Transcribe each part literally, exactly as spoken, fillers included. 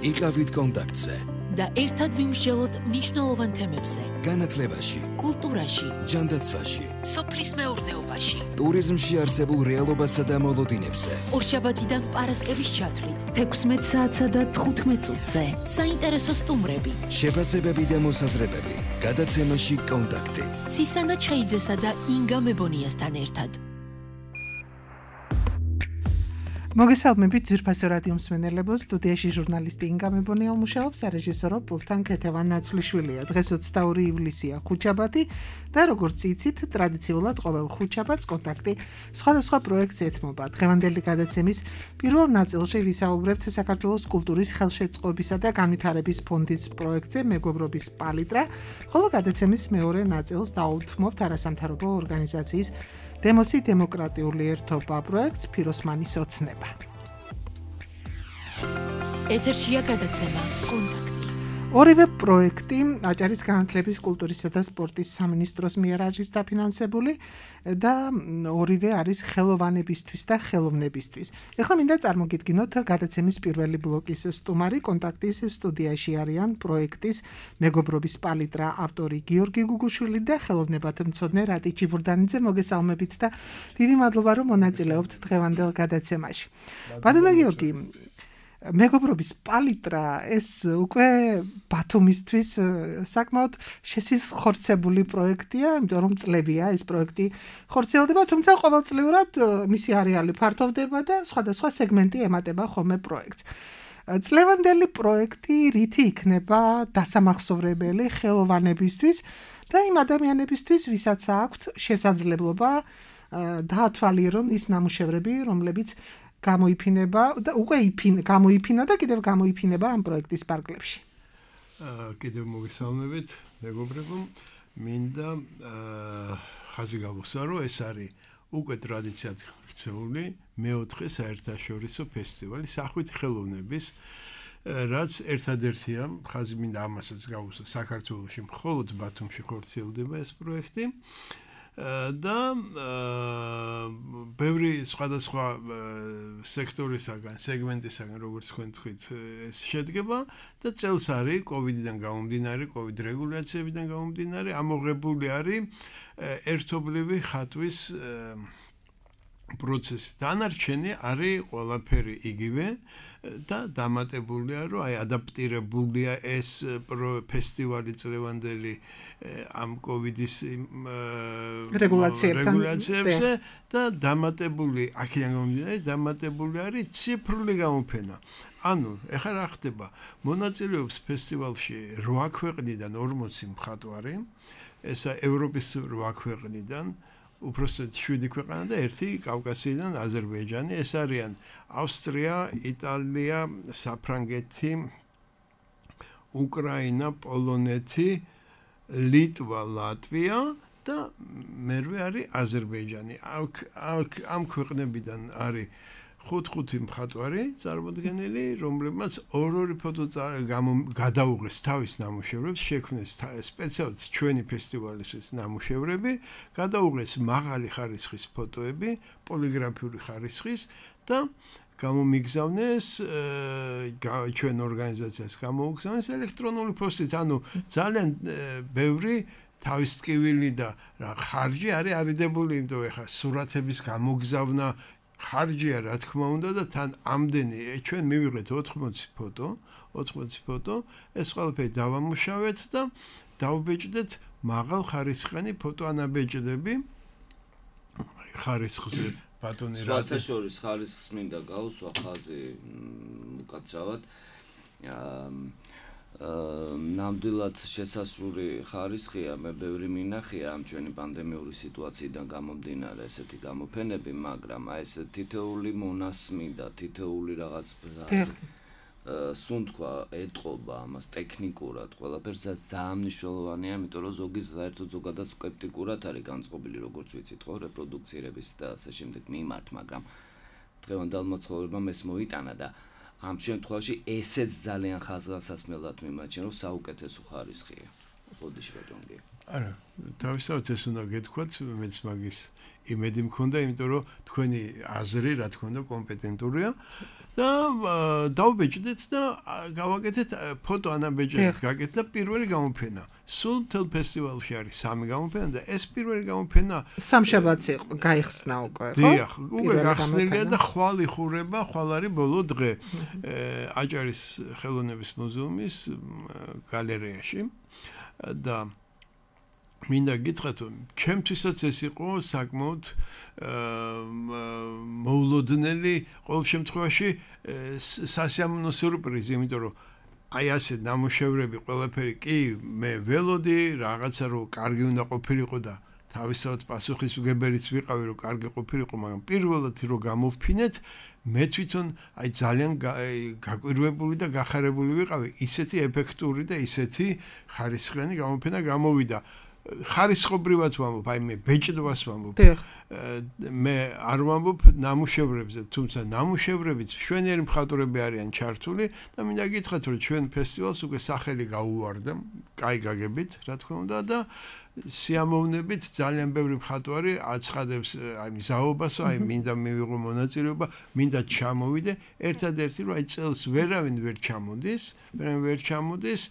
იყავით კონტაქტზე და ერთად ვიმსჯელოთ მნიშვნელოვან თემებზე. განათლებაში, კულტურაში, ჯანდაცვაში, სოფლის მეურნეობაში, ტურიზმში არსებულ რეალობასა და მოლოდინებზე. ორშაბათიდან პარასკევის ჩათვლით, თექვსმეტ საათსა და თხუთმეტ წუთზე. საინტერესო სტუმრები, შეფასებები და მოსაზრებები. გადაცემაში კონტაქტი. ცისანა ჩხეიძესა და ინგა მებონიასთან ერთად. მოგესალმებით ძვირფასო რადიო მსმენელებო, სტუდიაში ჟურნალისტი ინგა მებონია მუშაობს, სარეჟისორო პულტთან ქეთევან ნაცვლიშვილია. დღეს ოცდაორი ივლისია, ხუთშაბათი და როგორც იცით, ტრადიციულად ყოველ ხუთშაბათს კონტაქტი სხვადასხვა პროექტს ეთმობა. დღევანდელი გადაცემის პირველ ნაწილში ვისაუბრებთ საქართველოს კულტურის ხელშეწყობისა და განვითარების ფონდის პროექტზე მეგობრობის პალიტრა, ხოლო გადაცემის მეორე ნაწილს დაუთმობთ არასამთავრობო ორგანიზაციის დემოსი დემოკრატიული ერთობა პროექტს ფიროსმანის ოცნება. ეთერშია გადაცემა კონტაქტი. ორივე პროექტი აჭარის განათლების, კულტურისა და სპორტის სამინისტროს მიერ არის დაფინანსებული და ორივე არის ხელოვანებისთვის და ხელოვნებისთვის. ეხლა მინდა წარმოგიდგინოთ გადაცემის პირველი ბლოკის სტუმარი. კონტაქტის სტუდიაში არიან პროექტის მეგობრობის პალიტრა ავტორი გიორგი გუგუშვილი და ხელოვნებათმცოდნე რატი ჩიბურდანიძე. მოგესალმებით და დიდი მადლობა რომ მონაწილეობთ დღევანდელ გადაცემაში. ბატონო გიორგი, მეგობრობის პალიტრა ეს უკვე ბათუმისთვის საკმაოდ შესახორცებული პროექტია, იმიტომ რომ წლებია ეს პროექტი ხორციელდება, თუმცა ყოველწლიურად მისი არეალი ფართოვდება და სხვადასხვა სეგმენტი ემატება ხოლმე პროექტს. წლევანდელი პროექტი რითი იქნება დასამახსოვრებელი ხელოვანებისთვის და იმ ადამიანებისთვის, ვისაც აქვთ შესაძლებლობა დაათვალიერონ ის ნამუშევრები, რომლებიც გამოიფინება და უკვე იფინა, გამოიფინა და კიდევ გამოიფინება ამ პროექტის პარკლებში. კიდევ მოგესალმებით, მეგობრებო. მინდა ხაზი გავუსვა, რომ ეს არის უკვე ტრადიციად ქცეული მეოთხე საერთაშორისო ფესტივალი სახვით ხელოვნების, რაც ერთადერთია, ხაზი მინდა ამასაც გავუსვა, საქართველოში მხოლოდ ბათუმში ხორციელდება ეს პროექტი. და ბევრი სხვადასხვა სექტორისაგან, სეგმენტისაგან, როგორც თქვენ თქვით, ეს შედგება და წელს არის კოვიდიდან გამომდინარე, კოვიდ რეგულაციებიდან გამომდინარე, ამოღებული არის ერთობლივი ხატვის პროცესი. დანარჩენი არის ყველაფერი იგივე და დამატებულია, რომ აი ადაპტირებულია ეს ფესტივალი წლევანდელი ამ კოვიდის რეგულაციებზე და დამატებული, აქედან გამომდინარე, დამატებული არის ციფრული გამოფენა. ანუ, ეხლა რა ხდება? მონაწილეობს ფესტივალში რვა ქვეყნიდან ორმოცი მხატვარი, ესა ევროპის რვა ქვეყნიდან, უпростოდ შვიდი ქვეყანა და ერთი კავკასიიდან აზერბაიჯანი. ეს არიან ავსტრია, იტალია, საფრანგეთი, უკრაინა, პოლონეთი, ლიტვა, ლატვია და მერვე არის აზერბაიჯანი. ამ ქვეყნებიდან არის ხუთ-ხუთი მხატვარი წარმოდგენილი, რომლებმაც ორ-ორი ფოტო გადაუღეს თავის ნამუშევრებს, შექმნეს სპეციალურად ჩვენი ფესტივალისთვის ნამუშევრები, გადაუღეს მაღალი ხარისხის ფოტოები, პოლიგრაფიული ხარისხის და გამომიგზავნეს ჩვენ ორგანიზაციას გამოუგზავნეს ელექტრონული პოსტით, ანუ ძალიან ბევრი თავის ტკივილი და ხარჯი არის არიდებული, იმიტომ ეხა სურათების გამოგზავნა ხარჯია, რა თქმა უნდა და თან ამდენი ჩვენ მივიღეთ ოთხმოცი ფოტო, ოთხმოცი ფოტო, ეს ყველაფერი დავამუშავეთ და დავბეჭდეთ მაღალ ხარისხიანი ფოტოანაბეჭდები ხარისხზე ბატონი რა სხვათა შორის ხარისხს მინდა გავუსვა ხაზი უკაცრავად ნამდვილად შესასრული ხარისხია, მე ბევრი მინახია ამ ჩვენი პანდემიური სიტუაციიდან გამომდინარე ესეთი გამოფენები, მაგრამ აი ეს თითოეული მონასმი და თითოეული რაღაც სუნთქვა ეტყობა ამას ტექნიკურად, ყველაფერს ძალიან მნიშვნელოვანია, იმიტომ რომ ზოგი საერთოდ ზოგადად სკეპტიკურად არის განწყობილი, როგორც ვიცით, ხო, რეპროდუქცირების და ასე შემდეგ მიმართ, მაგრამ დღევანდელმა ცხოვრებამ ეს მოიტანა და ამ შემთხვევაში ესეც ძალიან ხაზგასასმელად მიმაჩნია, რომ საუკეთესო ხარისხია. ბოდიში ბატონო კი არა თავისთავად ეს უნდა გეთქვათ მეც მაგის იმედი მქონდა იმიტომ რომ თქვენი აზრი რა თქმა უნდა კომპეტენტურია და დავბეჭდეთ და გავაკეთეთ ფოტო ანაბეჭდებით გაკეთდა პირველი გამოფენა სულ მთელ ფესტივალში არის სამი გამოფენა და ეს პირველი გამოფენა სამშაბათს იყო გაიხსნა უკვე ხო? დიახ, უკვე გახსნილია და ხვალ იხურება, ხვალ არის ბოლო დღე აჭარის ხელოვნების მუზეუმის გალერეაში და მინდა გითხრათ, ჩემთვისაც ეს იყო საკმაოდ მოულოდნელი ყოველ შემთხვევაში სასიამოვნო სიურპრიზი, იმიტომ რომ აი ასე ნამუშევრები ყველაფერი კი მე ველოდი რაღაცა რომ კარგი უნდა ყოფილიყო და თავისთავად პასუხისმგებელიც ვიყავი რომ კარგი ყოფილიყო მაგრამ პირველად რომ გამოვფინეთ მე თვითონ აი ძალიან გაკვირვებული და გახარებული ვიყავი ისეთი ეფექტური და ისეთი ხარისხიანი გამოფენა გამოვიდა ხარისხობრივად ვამბობ, აი მე ბეჭდვას ვამბობ. მე არ ვამბობ ნამუშევრებზე, თუმცა ნამუშევრებიც მშვენიერი მხატვრები არიან ჩართული და მინდა გითხრათ, რომ ჩვენ ფესტივალს უკვე სახელი გაუვარდა, კაი გაგებით, რა თქმა უნდა და სიამოვნებით ძალიან ბევრი მხატვარი აცხადებს აი მზაობასო, აი მინდა მივიღო მონაწილეობა, მინდა ჩამოვიდე, ერთადერთი რომ აი წელს ვერავინ ვერ ჩამოდის, ვერავინ ვერ ჩამოდის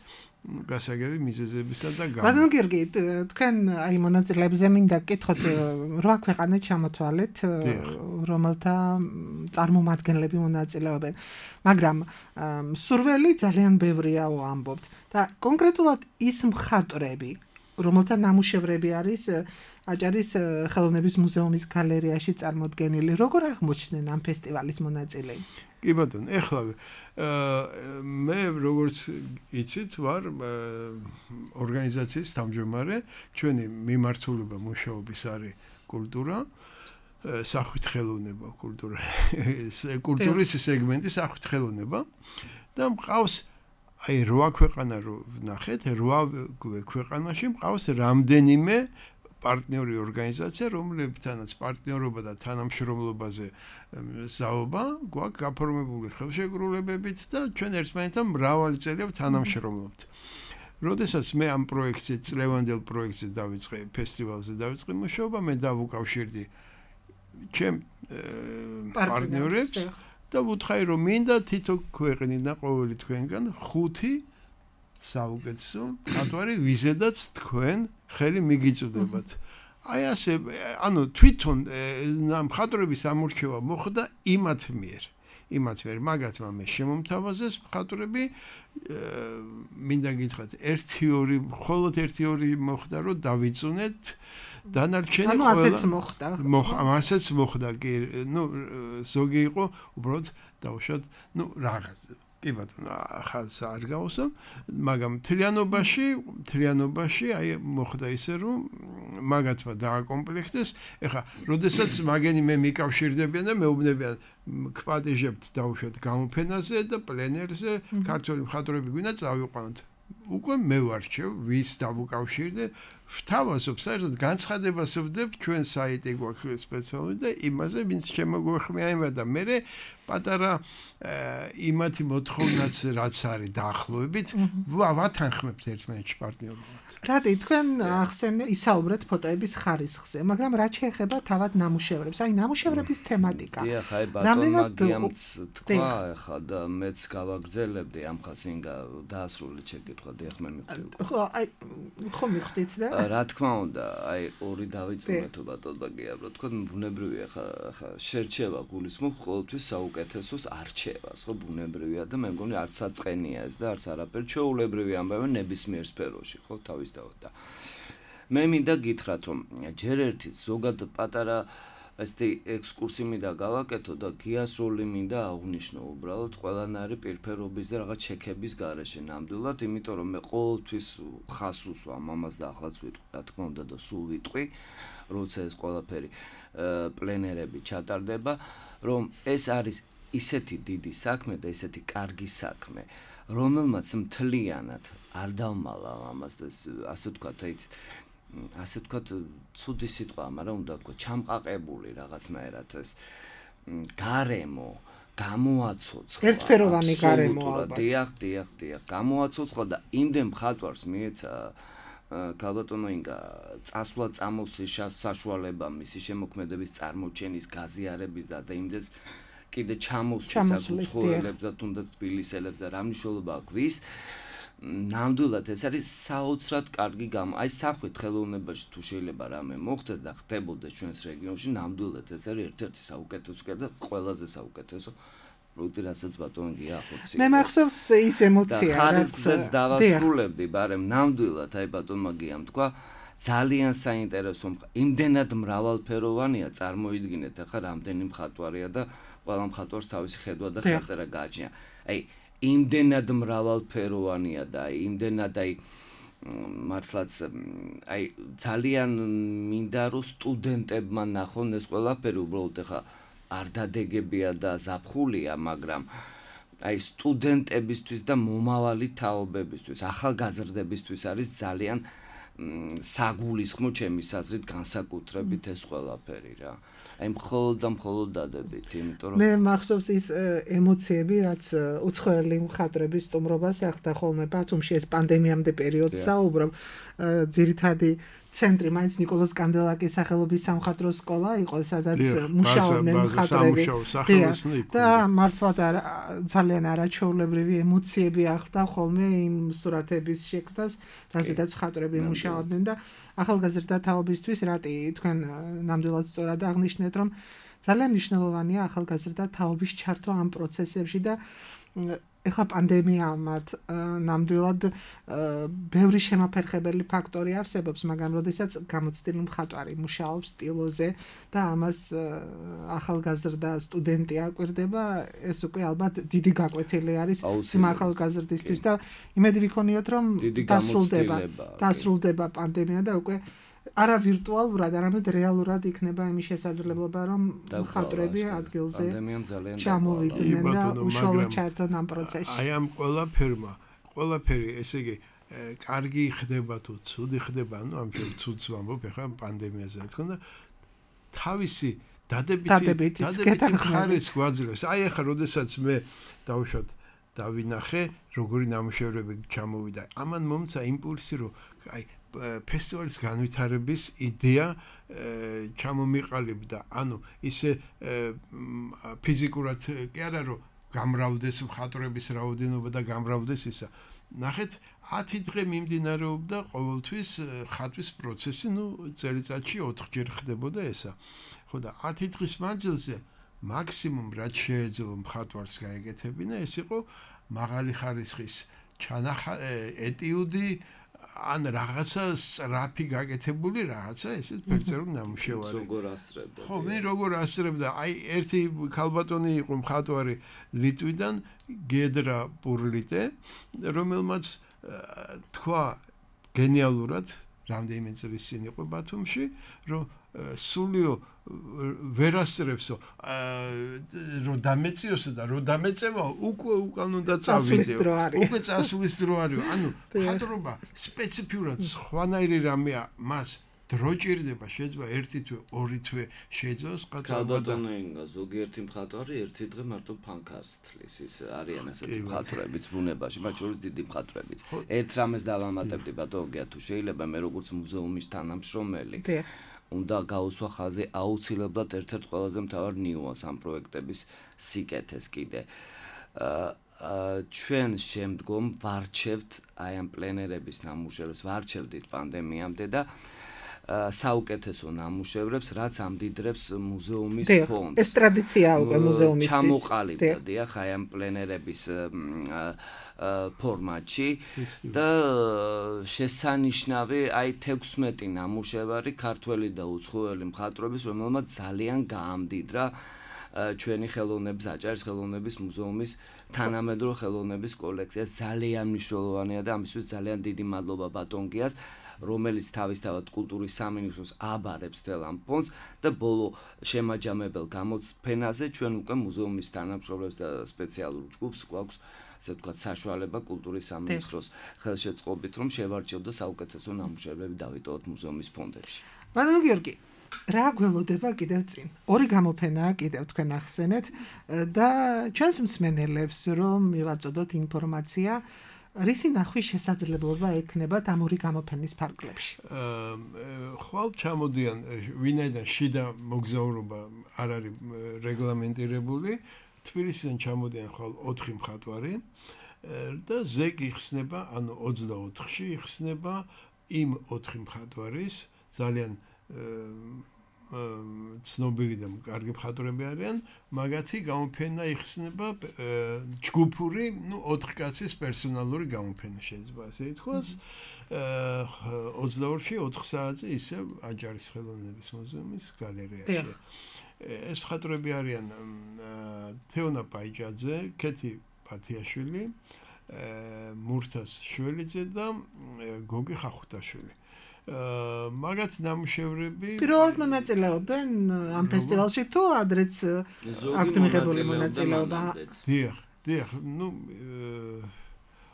გასაგები მიზეზებისა და გამო. ბატონო გიორგი, თქვენ აი მონაწილეებზე მინდა გკითხოთ, რა ქვეყანა ჩამოთვალეთ, რომელთა წარმომადგენლები მონაწილეობენ. მაგრამ სურველი ძალიან ბევრიაო ამბობთ და კონკრეტულად ის მხატვრები, რომელთა ნამუშევრები არის აჭარის ხელოვნების მუზეუმის გალერეაში წარმოდგენილი, როგორ აღმოჩნდნენ ამ ფესტივალის მონაწილეები? კი ბატონო, ეხლა მე როგორც იცით ვარ ორგანიზაციის თავმჯდომარე, ჩვენი მიმართულება მუშაობის არის კულტურა, სახვით ხელოვნება, კულტურა, კულტურის სეგმენტი სახვით ხელოვნება და მყავს აი რვა ქვეყანა რო ვნახეთ, რვა ქვეყანაში მყავს რამდენიმე პარტნიორი ორგანიზაცია, რომლებთანაც პარტნიორობა და თანამშრომლობაზე საუბა გვაქვს გაფორმებული ხელშეკრულებებით და ჩვენ ერთმანეთთან მრავალი წელია თანამშრომლობთ. როდესაც მე ამ პროექტზე, წლევანდელ პროექტზე დავიწყე, ფესტივალზე დავიწყე მუშაობა, მე დავუკავშირდი ჩემ პარტნიორებს და ვუთხარი, რომ მინდა თითო ქვეყნიდან ყოველი თქვენგან ხუთი საუკეთესო მხატვარი ვიზედაც თქვენ ხელი მიგიწვდებათ. აი ასე, ანუ თვითონ მხატვრების ამორჩევა მოხდა იმათ მიერ. იმათ მიერ მაგათმა მე შემომთავაზეს მხატვრები, მინდა გითხრათ, ერთი ორი, მხოლოდ ერთი ორი მოხდა, რომ დავიწუნეთ დანარჩენი ყველა. ანუ ასეც მოხდა. ასეც მოხდა, კი, ნუ ზოგი იყო, უბრალოდ დავუშვათ, ნუ რაღაც კი ბატონო, ხალხს არ გავუსვამ, მაგრამ მთლიანობაში, მთლიანობაში აი მოხდა ისე, რომ მაგათმა დააკომპლექტეს. ეხლა, როდესაც მაგენი მე მიკავშირდებიან და მეუბნებიან, გპატიჟებთ დავუშვათ გამოფენაზე და პლენერზე, ქართველი მხატვრები გვინდა წავიყვანოთ. უკვე მე ვარჩევ, ვის დავუკავშირდე, ვთავაზობ, საერთოდ განცხადებას ვდებ, ჩვენ საიტი გვაქვს სპეციალური და იმაზე, ვინც შემოგვეხმიანება და მე პატარა იმათი მოთხოვნაც რაც არის დაახლოებით, ვათანხმებთ ერთმანეთში პარტნიორულად. რატი, თქვენ ახსენე ისაუბრეთ ფოტოების ხარისხზე, მაგრამ რაც შეეხება თავად ნამუშევრებს, აი ნამუშევრების თემატიკა. დიახ, აი ბატონ მაგიამც თქვა, ახლა და მეც გავაგრძელებდი ამ ხასინგა დაასრულე შეკითხვა, დიახ მე მივხვდი. ხო, აი ხო მივხვდით და რა თქმა უნდა, აი ორი დავიწუნეთო ბატონ მაგიამრო, თქვენ ბუნებრივია ხა ხა შერჩევა გულისხმობ ყოველთვის საუკეთესოს არჩევას, ხო ბუნებრივია და მე მგონი არც საწყენია ეს და არც არაფერი ჩვეულებრივი ამბავი ნებისმიერ სფეროში, ხო თავის და მე მინდა გითხრათ, რომ ჯერ ერთიც ზოგადად პატარა ესეთი ექსკურსი მინდა გავაკეთო და გიას როლი მინდა აღვნიშნო უბრალოდ ყველანაირი პირფერობის და რაღაც ჩეკების გარეშე ნამდვილად, იმიტომ რომ მე ყოველთვის ხას უსვამ ამას და ახლაც ვიტყვი, რა თქმა უნდა და სულ ვიტყვი, როცა ეს ყველაფერი პლენერები ჩატარდება, რომ ეს არის ისეთი დიდი საქმე და ისეთი კარგი საქმე, რომელმაც მთლიანად არ დავმალა ამას და ასე ვთქვათ, აი ასე ვთქვათ, ცუდი სიტყვა, მაგრამ უნდა ვთქვა, ჩამყაყებული რაღაცნაირად ეს გარემო გამოაცოცხლა. ერთფეროვანი გარემო ალბათ. დიახ, დიახ, დიახ, გამოაცოცხლა და იმდენ მხატვარს მიეცა ქალბატონო ინგა წასვლა წამოსვლის საშუალება მისი შემოქმედების წარმოჩენის გაზიარების და იმდეს კიდე ჩამოსვლის აკუცხოელებს და თუნდაც თბილისელებს და რა მნიშვნელობა აქვს ნამდვილად ეს არის საოცრად კარგი გამ აი სახვით ხელოვნებაში თუ შეიძლება რამე მოხდეს და ხდებოდეს ჩვენს რეგიონში ნამდვილად ეს არის ერთ-ერთი საუკეთესო და ყველაზე საუკეთესო პროექტი რასაც ბატონი ახოცი მე მახსოვს ის ემოცია რაც ხარისხს დავასრულებდი ბარემ ნამდვილად აი ბატონმა გიამ თქვა ძალიან საინტერესო იმდენად მრავალფეროვანია წარმოიდგინეთ ახლა რამდენი მხატვარია და ყველა მხატვარს თავისი ხედვა და ხელწერა გააჩნია აი იმდენად მრავალფეროვანია და იმდენად აი მართლაც აი ძალიან მინდა რომ სტუდენტებმა ნახონ ეს ყველაფერი უბრალოდ ახლა არ დადეგებია და ზაფხულია მაგრამ აი სტუდენტებისთვის და მომავალი თაობებისთვის ახალგაზრდებისთვის არის ძალიან საგულისხმო ჩემის აზრით განსაკუთრებით ეს ყველაფერი რა აი მხოლოდ და მხოლოდ დადებით იმიტომ რომ მე მახსოვს ის ემოციები რაც უცხოელი მხატვრების სტუმრობას ახდა ხოლმე ბათუმში ეს პანდემიამდე პერიოდს საუბრობ ძირითადი ცენტრი მაინც ნიკოლოზ კანდელაკის სახელობის სამხატვრო სკოლა იყო სადაც მუშაობდნენ მხატვრები და მართლაც ძალიან არაჩვეულებრივი ემოციები ახდა ხოლმე იმ სურათების შექმნას რაზედაც მხატვრები მუშაობდნენ და ახალგაზრდა თაობისთვის რატი თქვენ ნამდვილად სწორად აღნიშნეთ რომ ძალიან მნიშვნელოვანია ახალგაზრდა თაობის ჩართვა ამ პროცესებში და ეხლა პანდემია მართ ნამდვილად ბევრი შემაფერხებელი ფაქტორი არსებობს, მაგრამ როდესაც გამოცდილი მხატვარი მუშაობს სტილოზე და ამას ახალგაზრდა სტუდენტი აკვირდება, ეს უკვე ალბათ დიდი გაკვეთილი არის იმ ახალგაზრდისთვის და იმედი ვიქონიოთ, რომ დასრულდება დასრულდება პანდემია და უკვე არა ვირტუალურად, არამედ რეალურად იქნება იმის შესაძლებლობა, რომ მხატვრები ადგილზე ჩამოვიდნენ და უშუალოდ ჩაერთონ ამ პროცესში. აი ამ ყველაფერმა, ყველაფერი, ესე იგი, კარგი ხდება თუ ცუდი ხდება, ანუ ამ შენ ცუდს ვამბობ, ეხლა პანდემიაზე რა თქმა უნდა, თავისი დადებითი დადებითი ხარისხი გვაძლევს. აი ეხლა როდესაც მე დავუშვათ დავინახე, როგორი ნამუშევრები ჩამოვიდა. ამან მომცა იმპულსი, რომ აი ფესტივალის განვითარების იდეა ჩამომიყალიბდა. ანუ ისე ფიზიკურად კი არა რომ გამრავლდეს მხატვრების რაოდენობა და გამრავლდეს ისა. ნახეთ, ათი დღე მიმდინარეობდა ყოველთვის ხატვის პროცესი, ნუ წელიწადში ოთხჯერ ხდებოდა ესა. ხო და ათი დღის მანძილზე მაქსიმუმ რაც შეეძლო მხატვარს გაეკეთებინა, ეს იყო მაღალი ხარისხის ჩანახა ეტიუდი ან რაღაცა სწრაფი გაკეთებული რაღაცა ესეც ფერწერულ ნამუშევარი. როგორ ასწრებდა? ხო, მე როგორ ასწრებდა? აი ერთი ქალბატონი იყო მხატვარი ლიტვიდან, გედრა პურლიტე, რომელმაც თქვა გენიალურად, რამდენიმე წლის წინ იყო ბათუმში, რომ სულიო ვერ ასწრებსო, რომ დამეწიოსო და რომ დამეწევა, უკვე უკან უნდა წავიდეო. უკვე წასulis დრო არის. ანუ მხატვრობა სპეციფიურად სხვანაირი რამეა, მას დრო ჭირდება, შეიძლება ერთი თვე, ორი თვე შეძლოს მხატვრობა და ზოგიერთი მხატვარი ერთი დღე მარტო ფანქარს თლის, ის არიან ასეთი მხატვრებიც ბუნებაში, მათ შორის დიდი მხატვრებიც. ერთ რამეს დავამატებდი ბატონო, თუ შეიძლება მე როგორც მუზეუმის თანამშრომელი უნდა გაუსვა ხაზი აუცილებლად ერთ-ერთ ყველაზე მთავარ ნიუანს ამ პროექტების სიკეთეს კიდე. ჩვენ შემდგომ ვარჩევთ აი ამ პლენერების ნამუშევრებს, ვარჩევდით პანდემიამდე და საუკეთესო ნამუშევრებს, რაც ამდიდრებს მუზეუმის ფონდს. ეს ტრადიცია უკვე მუზეუმისთვის. ჩამოყალიბდა, დიახ, აი ამ პლენერების ფორმატში და შესანიშნავი აი თექვსმეტი ნამუშევარი ქართველი და უცხოელი მხატვრების, რომელმაც ძალიან გაამდიდრა ჩვენი ხელოვნების აჭარის ხელოვნების მუზეუმის თანამედროვე ხელოვნების კოლექცია. ძალიან მნიშვნელოვანია და ამისთვის ძალიან დიდი მადლობა ბატონ გიას, რომელიც თავისთავად კულტურის სამინისტროს აბარებს თელ ამ ფონდს და ბოლო შემაჯამებელ გამოფენაზე ჩვენ უკვე მუზეუმის თანამშრომლებს და სპეციალურ ჯგუფს გვაქვს ასე ვთქვათ საშუალება კულტურის სამინისტროს ხელშეწყობით რომ შევარჩიოთ და საუკეთესო ნამუშევრები დავიტოვოთ მუზეუმის ფონდებში. ბატონო გიორგი, რა გველოდება კიდევ წინ? ორი გამოფენაა კიდევ თქვენ ახსენეთ და ჩვენს მსმენელებს რომ მივაწოდოთ ინფორმაცია რისი ნახვის შესაძლებლობა ექნება ამ ორი გამოფენის ფარგლებში? ხვალ ჩამოდიან ვინაიდან შიდა მოგზაურობა არ არის რეგლამენტირებული, თბილისიდან ჩამოდიან ხვალ ოთხი მხატვარი და ზეგ იხსნება, ანუ ოცდაოთხში იხსნება იმ ოთხი მხატვარის ძალიან ცნობილი და კარგი მხატვრები არიან, მაგათი გამოფენა იხსნება ჯგუფური, ну, ოთხ კაცის პერსონალური გამოფენა შეიძლება ასე ითქვას. ოცდაორში ოთხ საათზე ისევ აჯარის ხელოვნების მუზეუმის გალერეაში. ეს მხატვრები არიან თეონა პაიჭაძე, კეთი პათიაშვილი, მურთას შველიძე და გოგი ხახუტაშვილი. მაგათ ნამუშევრები პირველად მონაწილეობენ ამ ფესტივალში თუ ადრეც აქვთ მიღებული მონაწილეობა? დიახ, დიახ, ну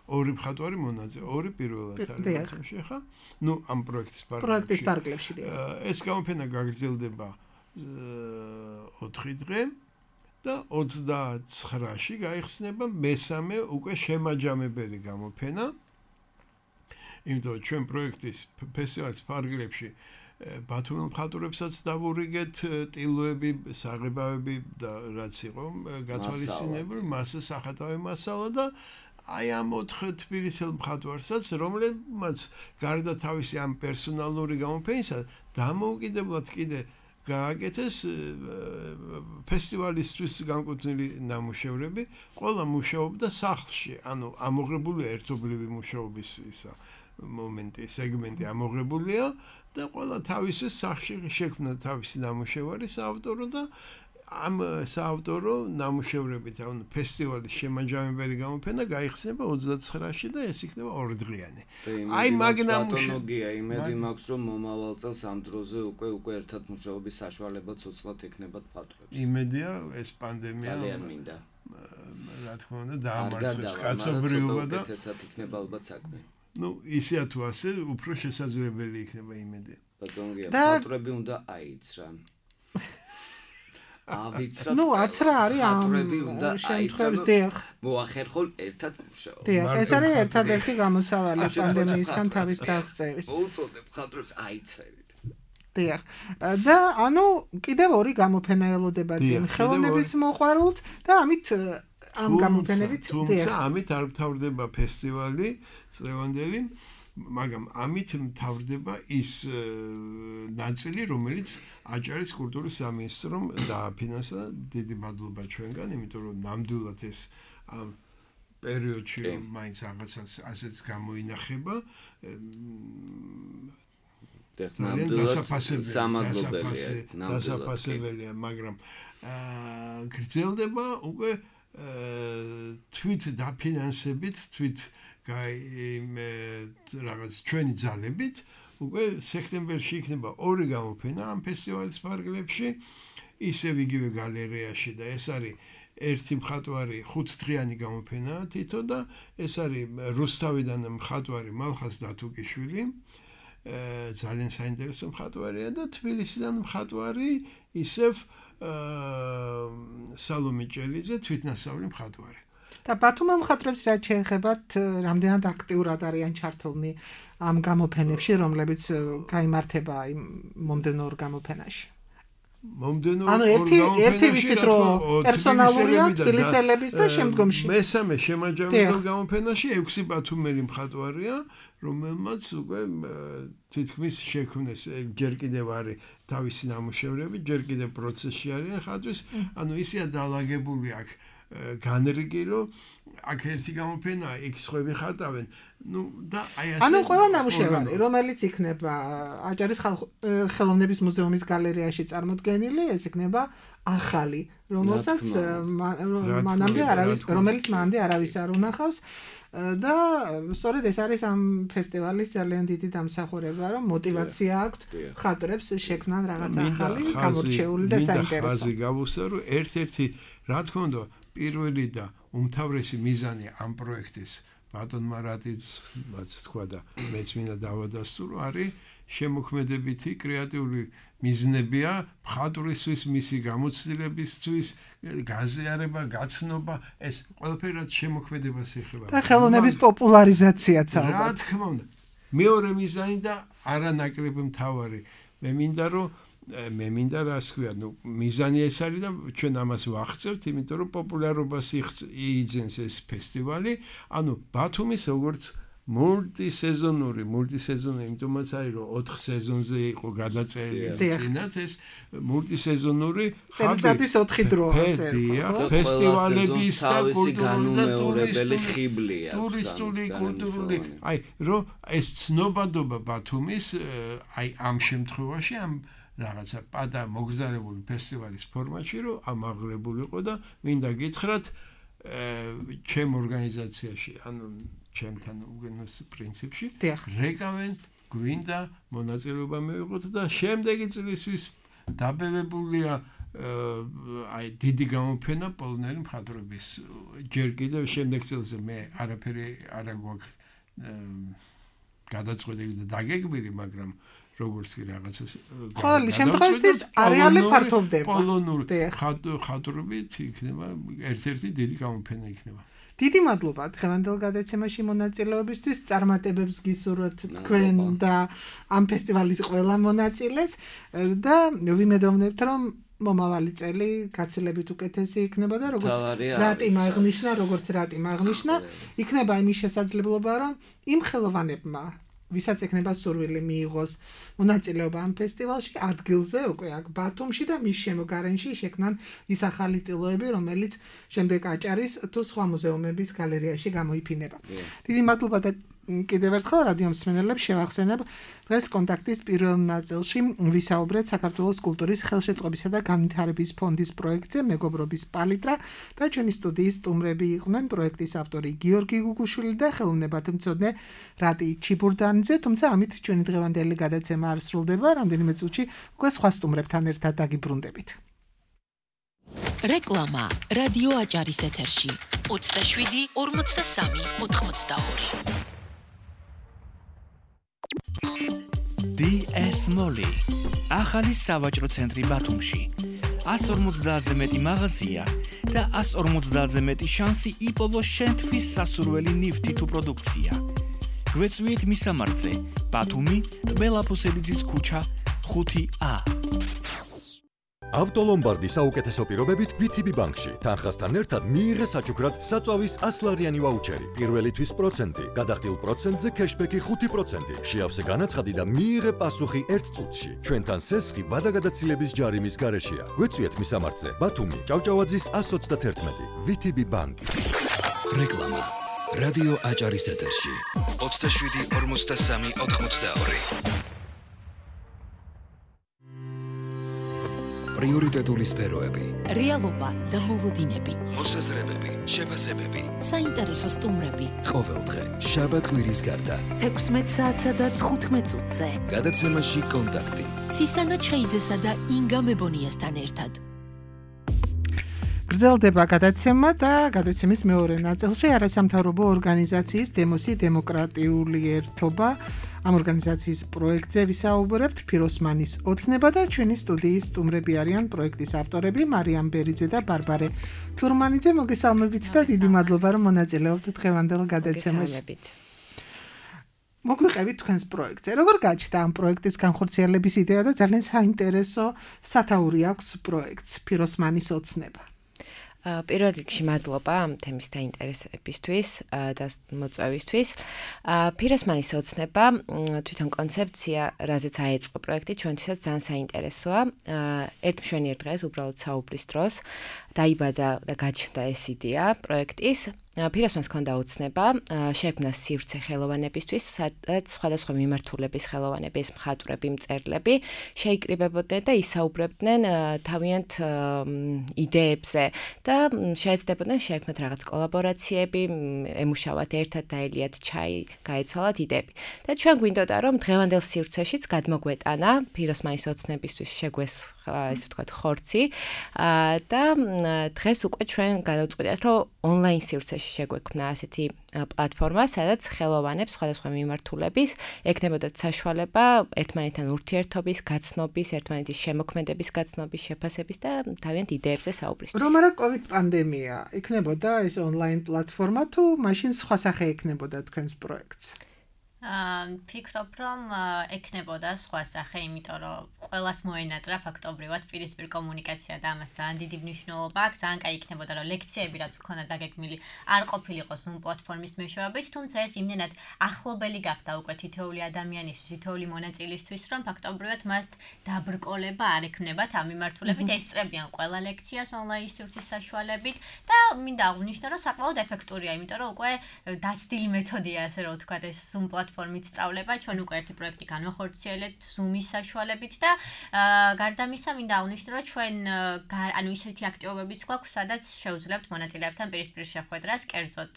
ორი მხატვარი მონაწილე, ორი პირველად არის შეხა. ну ამ პროექტის პარკლებში. პროექტის პარკლებში დიახ. ეს გამოფენა გაგრძელდება ოთხი დღე და ოცდაცხრაში გაიხსნება მესამე უკვე შემაჯამებელი გამოფენა. იმიტომ ჩვენ პროექტის ფესტივალის ფარგლებში ბათუმელ მხატვრებსაც დავურიგეთ ტილოები, საღებავები და რაც იყო გათვალისწინებული, მასა სახატავი მასალა და აი ამ ოთხ თბილისელ მხატვარსაც, რომლებმაც გარდა თავისი ამ პერსონალური გამოფენისა დამოუკიდებლად კიდე გააკეთეს ფესტივალისთვის განკუთვნილი ნამუშევრები, ყველა მუშაობდა სახლში, ანუ ამოღებულია ერთობლივი მუშაობის ისა მომენტი, სეგმენტი ამოღებულია და ყველა თავისთვის სახლში შექმნა თავისი ნამუშევარი საავტორო და ამ საავტორო ნამუშევრებით, ანუ ფესტივალის შემაჯამებელი გამოფენა გაიხსნება ოცდაცხრაში და ეს იქნება ორდღიანი. აი მაგ ნამუშევრია, იმედი მაქვს რომ მომავალ წელს ამ დროზე უკვე უკვე ერთად მუშაობის საშუალება ცოცხლად ექნებათ მხატვრებს. იმედია ეს პანდემია ძალიან მინდა. რა თქმა უნდა დაამარცხებს კაცობრიობა და ესეც იქნება ალბათ საქმე. ну ისეა თუ ასე უფრო შესაძლებელი იქნება იმედი. ბატონგია, მხატვრები უნდა აიცრან. ავიცრა. ну აცრა არის ამ შემთხვევაში დიახ. მოახერხონ ერთად მუშაობა. დიახ, ეს არის ერთადერთი გამოსავალი პანდემიისგან თავის დაღწევის. უწოდებ მხატვრებს აიცერით. დიახ. და ანუ კიდევ ორი გამოფენა ელოდება წინ ხელოვნების მოყვარულთ და ამით ამ გამოფენებით დიახ. თუმცა ამით არ მთავრდება ფესტივალი წლევანდელი, მაგრამ ამით მთავრდება ის ნაწილი, რომელიც აჭარის კულტურის სამინისტრომ დააფინანსა. დიდი მადლობა ჩვენგან, იმიტომ რომ ნამდვილად ეს ამ პერიოდში მაინც რაღაცას ასეც გამოინახება. დასაფასებელია, მაგრამ გრძელდება უკვე თვით დაფინანსებით, თვით რაღაც ჩვენი ძალებით უკვე სექტემბერში იქნება ორი გამოფენა ამ ფესტივალის ფარგლებში, ისევ იგივე გალერეაში და ეს არის ერთი მხატვარი ხუთდღიანი გამოფენა თითო და ეს არის რუსთავიდან მხატვარი მალხაზ დათუკიშვილი, ძალიან საინტერესო მხატვარია და თბილისიდან მხატვარი ისევ სალომე ჭელიძე, თვითნასწავლი მხატვარი. და ბათუმელ მხატვრებს რაც შეეხებათ, რამდენად აქტიურად არიან ჩართულნი ამ გამოფენებში, რომლებიც გაიმართება იმ მომდევნო ორ გამოფენაში? მომდევნო ანუ ერთი ერთი ვიცით რომ პერსონალურია თბილისელების და შემდგომში მესამე შემაჯამებელ გამოფენაში ექვსი ბათუმელი მხატვარია, რომელმაც უკვე თითქმის შექმნეს ჯერ კიდევ არის თავისი ნამუშევრები, ჯერ კიდევ პროცესში არიან ხატვის, ანუ ისეა დაალაგებული აქ განრიგი რომ აქ ერთი გამოფენა, იქ სხვები ხატავენ. ну და აი ასე ანუ ყველა ნამუშევარი, რომელიც იქნება აჭარის ხელოვნების მუზეუმის გალერეაში წარმოდგენილი, ეს იქნება ახალი, რომელსაც მანამდე არავის, რომელიც მანამდე არავის არ უნახავს. და სწორედ ეს არის ამ ფესტივალის ძალიან დიდი დამსახურება, რომ мотиваცია აქვთ ხატრებს შექმნან რაღაც ახალი, გამორჩეული და საინტერესო. ხაზი გავუსვა, რომ ერთ-ერთი რა თქმა უნდა პირველი და უმთავრესი მიზანი ამ პროექტის ბატონმა რატიცმაც თქვა და მეც მინდა დავადასტურო, არის შემოქმედებითი კრეატიული მიზნებია მხატვრისთვის მისი გამოცდილებისთვის გაზიარება, გაცნობა, ეს ყველაფერი რაც შემოქმედებას ეხება. და ხელოვნების პოპულარიზაციაც ალბათ. რა თქმა უნდა. მეორე მიზანი და არანაკლები მთავარი. მე მინდა რომ მე მინდა რას ქვია, ნუ მიზანი ეს არის და ჩვენ ამას ვახცევთ, იმიტომ რომ პოპულარობას იძენს ეს ფესტივალი, ანუ ბათუმის როგორც მულტისეზონური, მულტისეზონური, იმიტომაც არის რომ ოთხ სეზონზე იყო გადაწერილი წინათ ეს მულტისეზონური წელიწადის ოთხი დროა ასე. ფესტივალების და განუმეორებელი ხიბლია. ტურისტული, კულტურული, აი რომ ეს ცნობადობა ბათუმის აი ამ შემთხვევაში ამ რაღაცა პადა მოგზაურებული ფესტივალის ფორმატში რომ ამაღლებულიყო და მინდა გითხრათ ჩემ ორგანიზაციაში, ანუ ჩემთან უგენოს პრინციპში რეკავენ გვინდა მონაწილეობა მივიღოთ და შემდეგი წლისთვის დაბევებულია აი დიდი გამოფენა პოლონელი მხატვრების ჯერ კიდევ შემდეგ წელზე მე არაფერი არ გვაქვს გადაწყვეტილი და დაგეგმილი, მაგრამ როგორც კი რაღაცას ყოველი შემთხვევაში არეალი ფართოვდება. პოლონური ხატრობით იქნება ერთ-ერთი დიდი გამოფენა იქნება. დიდი მადლობა დღევანდელ გადაცემაში მონაწილეობისთვის. წარმატებებს გისურვებთ თქვენ და ამ ფესტივალის ყველა მონაწილეს და ვიმედოვნებთ რომ მომავალი წელი გაცილებით უკეთესი იქნება და როგორც რატიმ აღნიშნა, როგორც რატიმ აღნიშნა, იქნება იმის შესაძლებლობა რომ იმ ხელოვანებმა ვისაც ექნება სურვილი მიიღოს მონაწილეობა ამ ფესტივალში ადგილზე უკვე აქ ბათუმში და მის შემოგარენში შექმნან ის ახალი ტილოები, რომელიც შემდეგ აჭარის თუ სხვა მუზეუმების გალერეაში გამოიფინება. დიდი მადლობა და კიდევ ერთხელ რადიო მსმენელებს შევახსენებ დღეს კონტაქტის პირველ ნაწილში ვისაუბრეთ საქართველოს კულტურის ხელშეწყობისა და განვითარების ფონდის პროექტზე მეგობრობის პალიტრა და ჩვენი სტუდიის სტუმრები იყვნენ პროექტის ავტორი გიორგი გუგუშვილი და ხელოვნებათმცოდნე რატი ჩიბურდანიძე, თუმცა ამით ჩვენი დღევანდელი გადაცემა არ სრულდება, რამდენიმე წუთში უკვე სხვა სტუმრებთან ერთად დაგიბრუნდებით. რეკლამა რადიო აჭარის ეთერში ოცდაშვიდი ორმოცდასამი ოთხმოცდაორი. დი ეს Molly ახალი სავაჭრო ცენტრი ბათუმში. ას ორმოცდაათზე მეტი მაღაზია და ას ორმოცდაათზე მეტი შანსი იპოვოს შენთვის სასურველი ნივთი თუ პროდუქცია. გვეწვიეთ მისამართზე ბათუმი, ტბელაფოსელიძის ქუჩა ხუთი ა. ავტოლომბარდი საუკეთესო პირობებით ვი თი ბი ბანკში. თანხასთან ერთად მიიღე საჩუქრად საწვავის ასლარიანი ვაუჩერი. პირველი თვის პროცენტი, გადახდილ პროცენტზე ქეშბექი ხუთი პროცენტი. შეავსე განაცხადი და მიიღე პასუხი ერთ წუთში. ჩვენთან სესხი ვადაგადაცილების ჯარიმის გარეშეა. გვეწვიეთ მისამართზე ბათუმი, ჭავჭავაძის ას ოცდაათერთმეტი. ვი თი ბი ბანკი. რეკლამა რადიო აჭარის ეთერში ოცდაშვიდი ორმოცდასამი ოთხმოცდაორი. პრიორიტეტული სფეროები, რეალობა და მოლოდინები, მოსაზრებები, შეფასებები, საინტერესო სტუმრები. ყოველდღე შაბათ-კვირის გარდა თექვსმეტ საათსა და თხუთმეტ წუთზე გადაცემაში კონტაქტი. ცისანა ჩხეიძესა და ინგა მებონიასთან ერთად. გრძელდება გადაცემა და გადაცემის მეორე ნაწილში არასამთავრობო ორგანიზაციის დემოსი დემოკრატიული ერთობა ამ ორგანიზაციის პროექტზე ვისაუბრებთ. ფიროსმანის ოცნება და ჩვენი სტუდიის სტუმრები არიან პროექტის ავტორები მარიამ ბერიძე და ბარბარე თურმანიძე. მოგესალმებით და დიდი მადლობა რომ მონაწილეობთ დღევანდელ გადაცემაში. მოგვიყევით თქვენს პროექტზე. როგორ გაჩნდა ამ პროექტის განხორციელების იდეა და ძალიან საინტერესო სათაური აქვს პროექტს ფიროსმანის ოცნება. პირველ რიგში მადლობა ამ თემის დაინტერესებისთვის და მოწვევისთვის. ფიროსმანის ოცნება თვითონ კონცეფცია, რაზეც აეწყო პროექტი, ჩვენთვისაც ძალიან საინტერესოა. ერთ მშვენიერ დღეს, უბრალოდ საუბრის დროს, დაიბადა და გაჩნდა ეს იდეა პროექტის. ფიროსმანს ჰქონდა ოცნება შექმნა სივრცე ხელოვანებისთვის, სადაც სხვადასხვა მიმართულების ხელოვანების მხატვრები, მწერლები შეიკრიბებოდნენ და ისაუბრებდნენ თავიანთ იდეებზე და შეეცდებოდნენ შექმნათ რაღაც კოლაბორაციები, ემუშავათ ერთად, დაელიათ ჩაი, გაეცვალათ იდეები. და ჩვენ გვინდოდა რომ დღევანდელ სივრცეშიც გადმოგვეტანა ფიროსმანის ოცნებისთვის შეგვესხა, ესე ვთქვათ, ხორცი და დღეს უკვე ჩვენ გადავწყვიტეთ რომ ონლაინ სივრცეში შემთხვევაში შეგვექმნა ასეთი პლატფორმა, სადაც ხელოვანებს სხვადასხვა მიმართულების ექნებოდათ საშუალება ერთმანეთთან ურთიერთობის, გაცნობის, ერთმანეთის შემოქმედების გაცნობის, შეფასების და თავიანთ იდეებზე საუბრისთვის. რომ არა COVID პანდემია, იქნებოდა ეს ონლაინ პლატფორმა თუ მაშინ სხვა სახე ექნებოდა თქვენს პროექტს? ფიქრობ, რომ ექნებოდა სხვა სახე, იმიტომ რომ ყველას მოენატრა ფაქტობრივად პირისპირ კომუნიკაცია და ამას ძალიან დიდი მნიშვნელობა აქვს. ძალიან კაი იქნებოდა, რომ ლექციები რაც ქონდა დაგეგმილი არ ყოფილიყო Zoom პლატფორმის მეშვეობით, თუმცა ეს იმდენად ახლობელი გახდა უკვე თითოეული ადამიანისთვის, თითოეული მონაწილისთვის, რომ ფაქტობრივად მას დაბრკოლება არ ექნებათ ამ მიმართულებით, ესწრებიან ყველა ლექციას ონლაინ სივრცის საშუალებით და მინდა აღვნიშნო, რომ საკმაოდ ეფექტურია, იმიტომ რომ უკვე დაცდილი მეთოდია, ასე რომ ვთქვათ, ეს Zoom პლატფორმით სწავლება, ჩვენ უკვე ერთი პროექტი განვახორციელებთ Zoom-ის საშუალებით და გარდა ამისა მინდა აღვნიშნო, რომ ჩვენ ანუ ისეთი აქტივობებიც გვაქვს, სადაც შეუძლებთ მონაწილეებთან პირისპირ შეხვედრას, კერძოდ,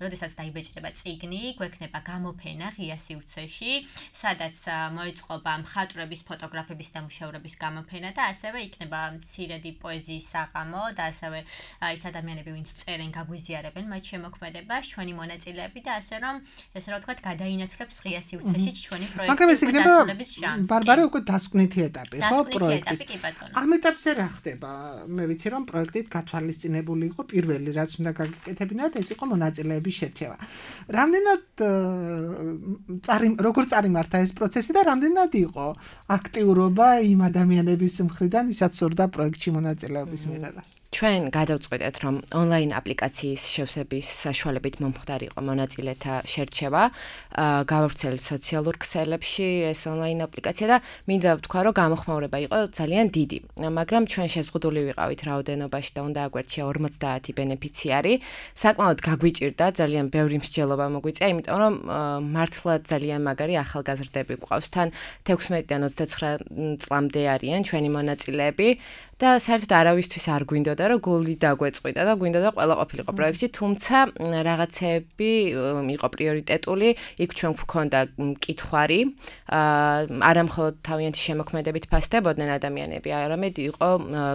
როდესაც დაიბეჭდება წიგნი, გვექნება გამოფენა ღია სივრცეში, სადაც მოეწყობა მხატვრების, ფოტოგრაფების და მუშაურების გამოფენა და ასევე იქნება მცირედი პოეზიის საღამო და ასევე ის ადამიანები, ვინც წერენ, გაგვიზიარებენ მათ შემოქმედებას, ჩვენი მონაწილეები და ასე რომ, ესე რომ ვთქვათ, გადაინაცვლებს ღია სივრცეში ჩვენი პროექტის დასრულების შანსი. ბარბარე უკვე დასკვნითი ეტაპი, ხო, პროექტის. ამ ეტაპზე რა ხდება? მე ვიცი რომ პროექტით გათვალისწინებული იყო პირველი რაც უნდა გაკეთებინათ, ეს იყო მონაწილეების შერჩევა. რამდენად როგორ წარიმართა ეს პროცესი და რამდენად იყო აქტიურობა იმ ადამიანების მხრიდან, ვისაც სურდა პროექტში მონაწილეობის მიღება? ჩვენ გადავწყვეტეთ, რომ ონლაინ აპლიკაციის შევსების საშუალებით მომხდარ იყო მონაწილეთა შერჩევა, გავავრცელეთ სოციალურ ქსელებში ეს ონლაინ აპლიკაცია და მინდა ვთქვა, რომ გამოხმაურება იყო ძალიან დიდი. მაგრამ ჩვენ შეზღუდული ვიყავით რაოდენობაში და უნდა აგვერჩია ორმოცდაათი ბენეფიციარი. საკმაოდ გაგვიჭირდა, ძალიან ბევრი მსჯელობა მოგვიწია, იმიტომ რომ მართლა ძალიან მაგარი ახალგაზრდები გვყავს. თან თექვსმეტიდან ოცდაცხრა წლამდე არიან ჩვენი მონაწილეები და საერთოდ არავისთვის არ გვინდოდა რომ გული დაგვეწყვიტა და გვინდოდა ყველა ყოფილიყო პროექტში, თუმცა რაღაცები იყო პრიორიტეტული, იქ ჩვენ გვქონდა მკითხვარი, არა მხოლოდ თავიანთი შემოქმედებით ფასდებოდნენ ადამიანები, არამედ იყო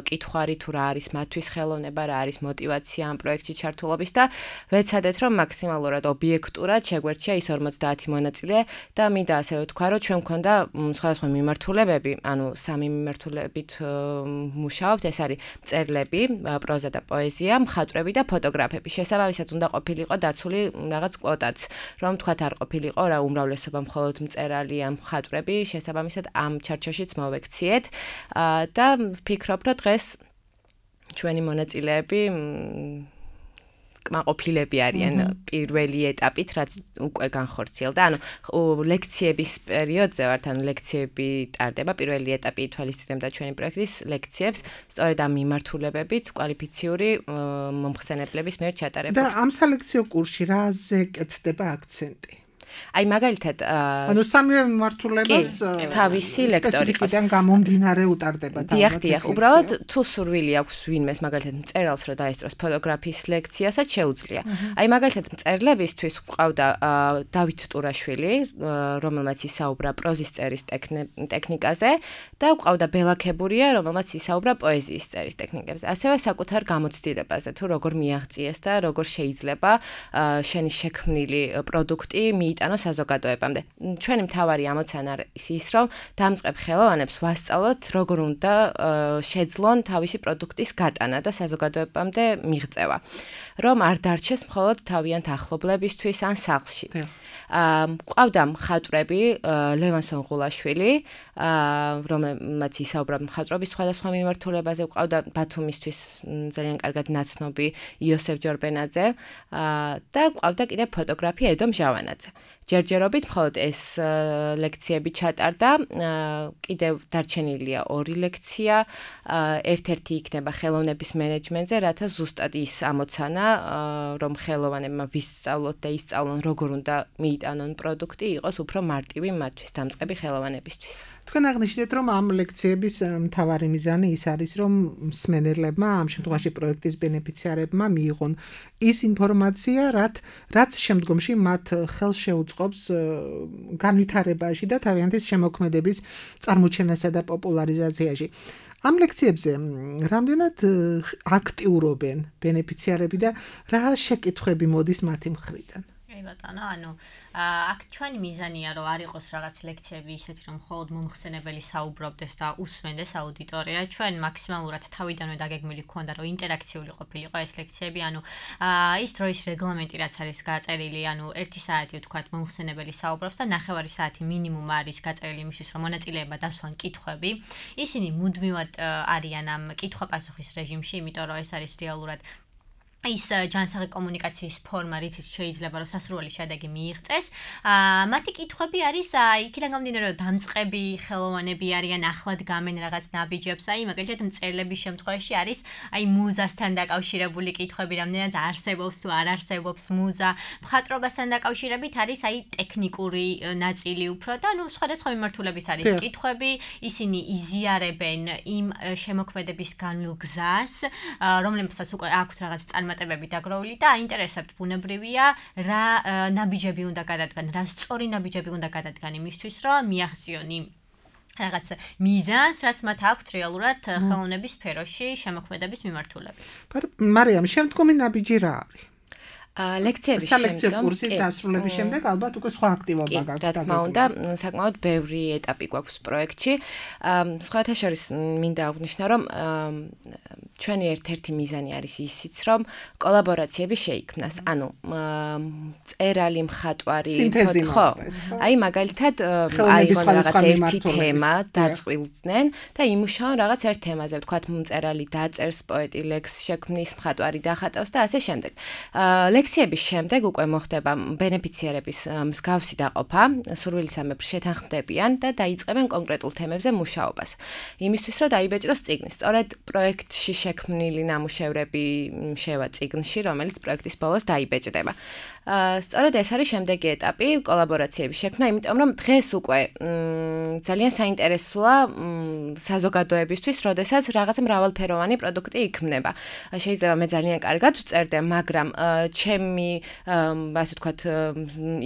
მკითხვარი თუ რა არის მათთვის ხელოვნება, რა არის мотиваცია ამ პროექტში ჩართულობის და ვეცადეთ რომ მაქსიმალურად ობიექტურად შეგვერჩია ის ორმოცდაათი მონაწილე და მინდა ასევე ვთქვა, რომ ჩვენ გვქონდა სხვადასხვა მიმართულებები, ანუ სამი მიმართულებით მუშაობთ, ეს არის მწერლები, პროზა და პოეზია, მხატვრები და ფოტოგრაფები. შესაბამისად უნდა ყოფილიყო დაცული რაღაც კვოტაც, რომ თქვათ არ ყოფილიყო რა უმრავლესობა მხოლოდ მწერალი ან მხატვრები, შესაბამისად ამ ჩარჩოშიც მოვექციეთ და ვფიქრობ, რომ დღეს ჩვენი მონაწილეები კმაყოფილები არიან პირველი ეტაპით, რაც უკვე განხორციელდა. ანუ ლექციების პერიოდზე ვართ, ანუ ლექციები ტარდება, პირველი ეტაპი ითვალისწინებდა ჩვენი პროექტის ლექციებს, სწორედ ამ მიმართულებებით კვალიფიციური მომხსენებლების მიერ ჩატარებული. და ამ სალექციო კურსში რაზე კეთდება აქცენტი? აი მაგალითად ანუ სამივე მიმართულებას თავისი ლექტორი სპეციფიკიდან გამომდინარე უტარდება და დიახ, დიახ, უბრალოდ თუ სურვილი აქვს ვინმეს მაგალითად მწერალს რომ დაესწროს ფოტოგრაფიის ლექციასაც შეუძლია. აი მაგალითად მწერლებისთვის გვყავდა დავით ტურაშვილი, რომელმაც ისაუბრა პროზის წერის ტექნიკაზე და გვყავდა ბელა ქებურია, რომელმაც ისაუბრა პოეზიის წერის ტექნიკებზე. ასევე საკუთარ გამოცდილებაზე, თუ როგორ მიაღწიეს და როგორ შეიძლება შენი შექმნილი პროდუქტი მიიტანო საზოგადოებამდე. ჩვენი მთავარი ამოცანა არის ის, რომ დამწყებ ხელოვანებს ვასწავლოთ, როგორ უნდა შეძლონ თავისი პროდუქტის გატანა და საზოგადოებამდე მიღწევა. რომ არ დარჩეს მხოლოდ თავიანთ ახლობლებისთვის ან სახლში. მყავდა მხატვრები, ლევან სონღულაშვილი, რომელმაც ისაუბრა მხატვრობის სხვადასხვა მიმართულებაზე, მყავდა ბათუმისთვის ძალიან კარგად ნაცნობი იოსებ ჯორბენაძე და მყავდა კიდე ფოტოგრაფი ედო მჟავანაძე. ჯერჯერობით მხოლოდ ეს ლექციები ჩატარდა, კიდევ დარჩენილია ორი ლექცია, ერთ-ერთი იქნება ხელოვნების მენეჯმენტზე, რათა ზუსტად ის ამოცანა, რომ ხელოვანებმა ვისწავლოთ და ისწავლონ, როგორ უნდა მიიტანონ პროდუქტი, იყოს უფრო მარტივი მათთვის დამწყები ხელოვანებისთვის. თქვენ აღნიშნეთ, რომ ამ ლექციების მთავარი მიზანი ის არის, რომ მსმენელებმა, ამ შემთხვევაში პროექტის ბენეფიციარებმა მიიღონ ის ინფორმაცია, რაც შემდგომში მათ ხელს შეუწყობს განვითარებაში და თავიანთის შემოქმედების წარმოჩენასა და პოპულარიზაციაში. ამ ლექციებზე რამდენად აქტიურობენ ბენეფიციარები და რა შეკითხვები მოდის მათი მხრიდან? ბატონო, ანუ აქ ჩვენი მიზანია რომ არ იყოს რაღაც ლექციები ისეთი რომ მხოლოდ მომხსენებელი საუბრობდეს და უსმენდეს აუდიტორია. ჩვენ მაქსიმალურად თავიდანვე დაგეგმილი გქონდა რომ ინტერაქციული ყოფილიყო ეს ლექციები, ანუ ის დროის რეგლამენტი რაც არის გაწერილი, ანუ ერთი საათი ვთქვათ მომხსენებელი საუბრობს და ნახევარი საათი მინიმუმ არის გაწერილი იმისთვის რომ მონაწილეება დასვან კითხვები. ისინი მუდმივად არიან ამ კითხვა-პასუხის რეჟიმში, იმიტომ რომ ეს არის რეალურად ის ჯანსაღი კომუნიკაციის ფორმა, რითიც შეიძლება რომ სასურველი შედეგი მიიღწეს. აა მათი კითხვები არის იქიდან გამომდინარე რომ დამწყები ხელოვანები არიან, ახლად გამენ რაღაც ნაბიჯებს, აი მაგალითად მწერლების შემთხვევაში არის აი მუზასთან დაკავშირებული კითხვები, რამდენად არსებობს თუ არ არსებობს მუზა, მხატვრობასთან დაკავშირებით არის აი ტექნიკური ნაწილი უფრო და ნუ სხვადასხვა მიმართულების არის კითხვები, ისინი იზიარებენ იმ შემოქმედების განვლილ გზას, რომლებსაც უკვე აქვთ რაღაც წარმატებები მატებები დაგროვილი და აინტერესებთ ბუნებრივია რა ნაბიჯები უნდა გადადგან, რა სწორი ნაბიჯები უნდა გადადგან იმისთვის, რომ მიაღწიონ იმ რაღაც მიზანს, რაც მათ აქვთ რეალურად ხელოვნების სფეროში შემოქმედების მიმართულებით. მარიამ, შემდგომი ნაბიჯი რა არის? ლექციების სალექციო კურსის დასრულების შემდეგ ალბათ უკვე სხვა აქტივობა გაქვთ. რა თქმა უნდა, საკმაოდ ბევრი ეტაპი გვაქვს პროექტში. სხვათა შორის მინდა აღვნიშნო, რომ ჩვენი ერთ-ერთი მიზანი არის ისიც, რომ კოლაბორაციები შეიქმნას. ანუ წერალი, მხატვარი, ხო? აი მაგალითად, აი რაღაც ერთი თემა დაწყვილდნენ და იმუშაონ რაღაც ერთ თემაზე, ვთქვათ, მწერალი დაწერს, პოეტი ლექს შექმნის, მხატვარი დახატავს და ასე შემდეგ. ლექციების შემდეგ უკვე მოხდება ბენეფიციარების მსგავსი დაყოფა, სურვილისამებრ შეთანხმდებიან და დაიწყებენ კონკრეტულ თემებზე მუშაობას. იმისთვის რომ დაიბეჭდოს წიგნი. სწორედ პროექტში შექმნილი ნამუშევრები შევა წიგნში, რომელიც პროექტის ბოლოს დაიბეჭდება. სწორედ ეს არის შემდეგი ეტაპი, კოლაბორაციების შექმნა, იმიტომ რომ დღეს უკვე ძალიან საინტერესოა საზოგადოებისთვის, როდესაც რაღაც მრავალფეროვანი პროდუქტი იქმნება. შეიძლება მე ძალიან კარგად ვწერდე, მაგრამ ჩემი, ასე ვთქვათ,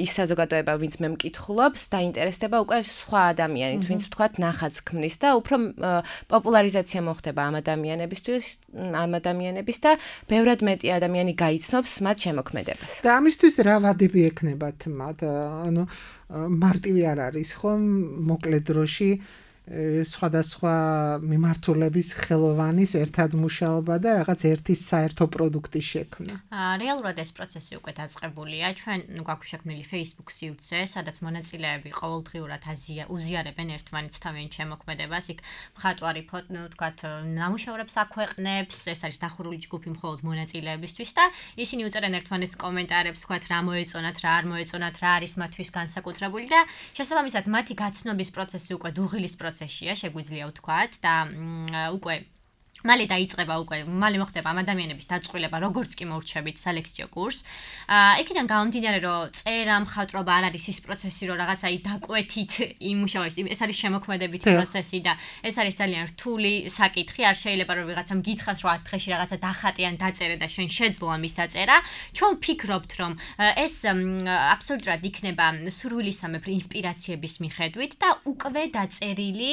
ის საზოგადოება, ვინც მე მკითხულობს, დაინტერესდება უკვე სხვა ადამიანით, ვინც ვთქვათ, ნახატს ქმნის და უფრო პოპულარიზაცია მოხდება ამ ადამიანებისთვის, ამ ადამიანების და ბევრად მეტი ადამიანი გაიცნობს მათ შემოქმედებას. და ამისთვის რა ვადები ექნებათ მათ? ანუ მარტივი არ არის, ხო, მოკლე დროში სხვადასხვა მიმართულების ხელოვანის ერთად მუშაობა და რაღაც ერთი საერთო პროდუქტის შექმნა. რეალურად ეს პროცესი უკვე დაწყებულია. ჩვენ გვაქვს შექმნილი Facebook სივრცე, სადაც მონაწილეები ყოველდღიურად უზიარებენ ერთმანეთს თავიანთ შემოქმედებას. იქ მხატვარი, ვთქვათ, ნამუშევრებს აქვეყნებს, ეს არის დახურული ჯგუფი მხოლოდ მონაწილეებისთვის და ისინი უწერენ ერთმანეთს კომენტარებს, ვთქვათ, რა მოეწონათ, რა არ მოეწონათ, რა არის მათთვის განსაკუთრებული და შესაბამისად მათი გაცნობის პროცესი უკვე დუღილის პროცესი შეგვიძლია ვთქვათ და უკვე მალე დაიწყება უკვე მალე მოხდება ამ ადამიანების დაწყვილება როგორც კი მოვრჩებით სალექციო კურსს. იქიდან გამომდინარე რომ წერა მხატვრობა არ არის ის პროცესი რომ რაღაც აი დაკვეთით იმუშავებს, ეს არის შემოქმედებითი პროცესი და ეს არის ძალიან რთული საკითხი, არ შეიძლება რომ ვიღაცამ გითხრას რომ ათ დღეში რაღაცა დახატიან დაწერე და შენ შეძლო ამის დაწერა. ჩვენ ვფიქრობთ რომ ეს აბსოლუტურად იქნება სურვილისამებრ ინსპირაციების მიხედვით და უკვე დაწერილი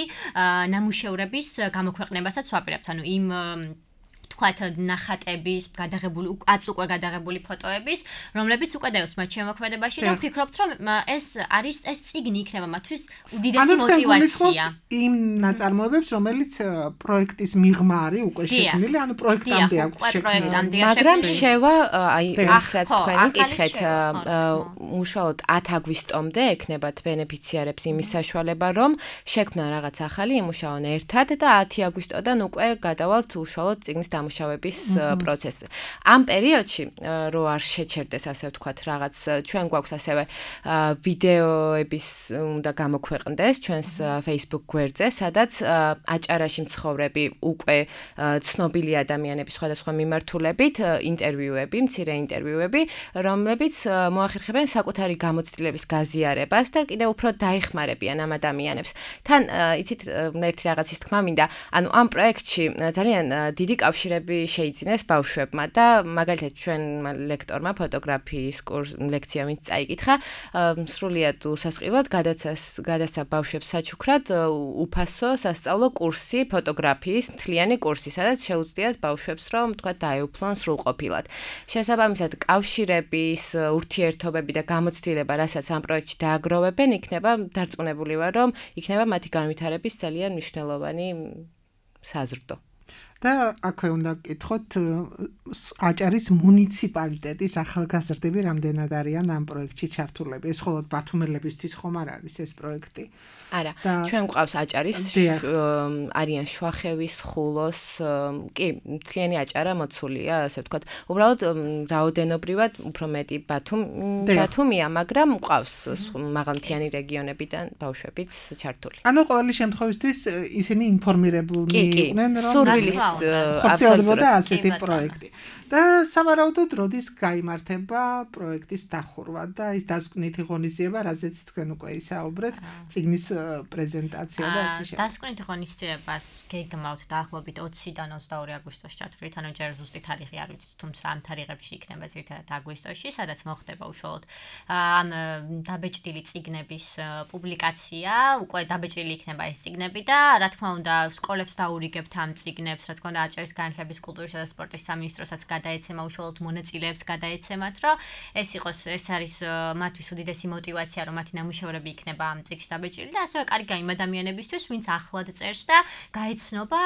ნამუშევრების გამოქვეყნებასაც ვაპირებთ. ანუ იმ ვთქვათ, ნახატების გადაღებული, აც უკვე გადაღებული ფოტოების, რომლებიც უკვე დევს მათ შემოქმედებაში და ვფიქრობთ, რომ ეს არის ეს წიგნი იქნება მათთვის უდიდესი მოტივაცია. იმ ნაწარმოებებს, რომელიც პროექტის მიღმა არის უკვე შექმნილი, ანუ პროექტამდე აქვს შექმნილი. მაგრამ შევა, აი, რასაც თქვენი კითხეთ, უშუალოდ ათი აგვისტომდე ექნებათ ბენეფიციარებს იმის საშუალება, რომ შექმნან რაღაც ახალი, იმუშაონ ერთად და ათი აგვისტოდან უკვე გადავალთ უშუალოდ წიგნის დამუშავების პროცესზე. ამ პერიოდში რო არ შეჩერდეს, ასე ვთქვათ, რაღაც ჩვენ გვაქვს ასევე ვიდეოების უნდა გამოქვეყნდეს ჩვენს Facebook გვერდზე, სადაც აჭარაში მცხოვრები უკვე ცნობილი ადამიანების სხვადასხვა მიმართულებით ინტერვიუები, მცირე ინტერვიუები, რომლებიც მოახერხებენ საკუთარი გამოცდილების გაზიარებას და კიდევ უფრო დაეხმარებიან ამ ადამიანებს. თან იცით ერთი რაღაცის თქმა მინდა, ანუ ამ პროექტში ძალიან დიდი კავშირი კავშირები შეიძინეს ბავშვებმა და მაგალითად ჩვენ ლექტორმა ფოტოგრაფიის ლექცია ვინც წაიკითხა, სრულიად უსასყიდლოდ გადასცა ბავშვებს საჩუქრად უფასო სასწავლო კურსი ფოტოგრაფიის მთლიანი კურსი, სადაც შეუძლიათ ბავშვებს რომ თქვა დაეუფლონ სრულყოფილად. შესაბამისად კავშირების ურთიერთობები და გამოცდილება, რასაც ამ პროექტში დააგროვებენ, იქნება დარწმუნებული ვარ, რომ იქნება მათი განვითარების ძალიან მნიშვნელოვანი საზრდო. და აქვე უნდა გკითხოთ აჭარის მუნიციპალიტეტის ახალგაზრდები რამდენად არიან ამ პროექტში ჩართულები. ეს მხოლოდ ბათუმელებისთვის ხომ არ არის ეს პროექტი? არა, ჩვენ გვყავს აჭარის არიან შვახევის, ხულოს, კი, მთლიანი აჭარა მოცულია, ასე ვთქვათ. უბრალოდ რაოდენობრივად უფრო მეტი ბათუმია, მაგრამ გვყავს მაღალმთიანი რეგიონებიდან ბავშვებიც ჩართული. ანუ ყოველი შემთხვევისთვის ისინი ინფორმირებულნი იყვნენ, რომ სურვილის ხორციელდებოდა ასეთი პროექტი. და სავარაუდოდ როდის გაიმართება პროექტის დახურვა და ის დასკვნითი ღონისძიება, რაზეც თქვენ უკვე ისაუბრეთ, წიგნის პრეზენტაცია და ასე შემდეგ. დასკვნითი ღონისძიებას გეგმავთ დაახლოებით ოციდან ოცდაორი აგვისტოს ჩათვლით, ანუ ჯერ ზუსტი თარიღი არ ვიცით, თუმცა ამ თარიღებში იქნება ერთად აგვისტოში, სადაც მოხდება უშუალოდ ამ დაბეჭდილი წიგნების პუბლიკაცია, უკვე დაბეჭდილი იქნება ეს წიგნები და რა თქმა უნდა, სკოლებს დაურიგებთ ამ წიგნებს, რა თქმა უნდა, აჭარის განათლების, კულტურისა და სპორტის სამინისტროსაც გადაეცემა უშუალოდ მონაწილეებს გადაეცემათ, რომ ეს იყოს ეს არის მათთვის უდიდესი мотиваცია, რომ მათი ნამუშევრები იქნება ამ წიგნში დაბეჭდილი და ასევე კარგი გაიმ ადამიანებისთვის, ვინც ახლად წერს და გაეცნობა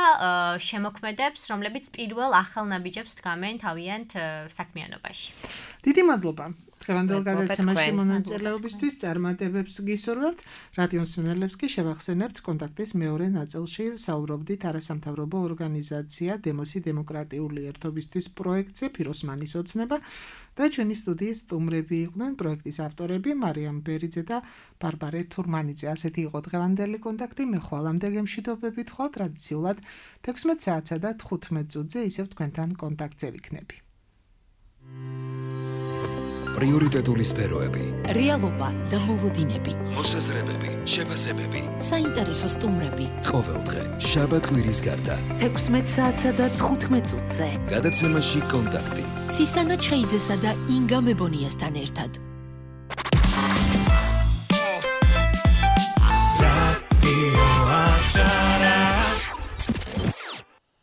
შემოქმედებს, რომლებიც პირველ ახალ ნაბიჯებს დგამენ თავიანთ საქმიანობაში. დიდი მადლობა. დღევანდელ გადაცემაში მონაწილეობისთვის წარმატებებს გისურვებთ. რადიო მსმენელებს კი შევახსენებთ კონტაქტის მეორე ნაწილში საუბრობდით არასამთავრობო ორგანიზაცია დემოსი დემოკრატიული ერთობისთვის პროექტზე ფიროსმანის ოცნება და ჩვენი სტუდიის სტუმრები იყვნენ პროექტის ავტორები მარიამ ბერიძე და ბარბარე თურმანიძე. ასეთი იყო დღევანდელი კონტაქტი. მე ხვალამდე გემშვიდობებით ხვალ ტრადიციულად თექვსმეტ საათსა და თხუთმეტ წუთზე ისევ თქვენთან კონტაქტზე ვიქნები. პრიორიტეტული სფეროები, რეალობა და მოლოდინები, მოსაზრებები, შეფასებები, საინტერესო სტუმრები. ყოველდღე შაბათ კვირის გარდა თექვსმეტ საათსა და თხუთმეტ წუთზე გადაცემაში კონტაქტი. ცისანა ჩხეიძესა და ინგა მებონიასთან ერთად.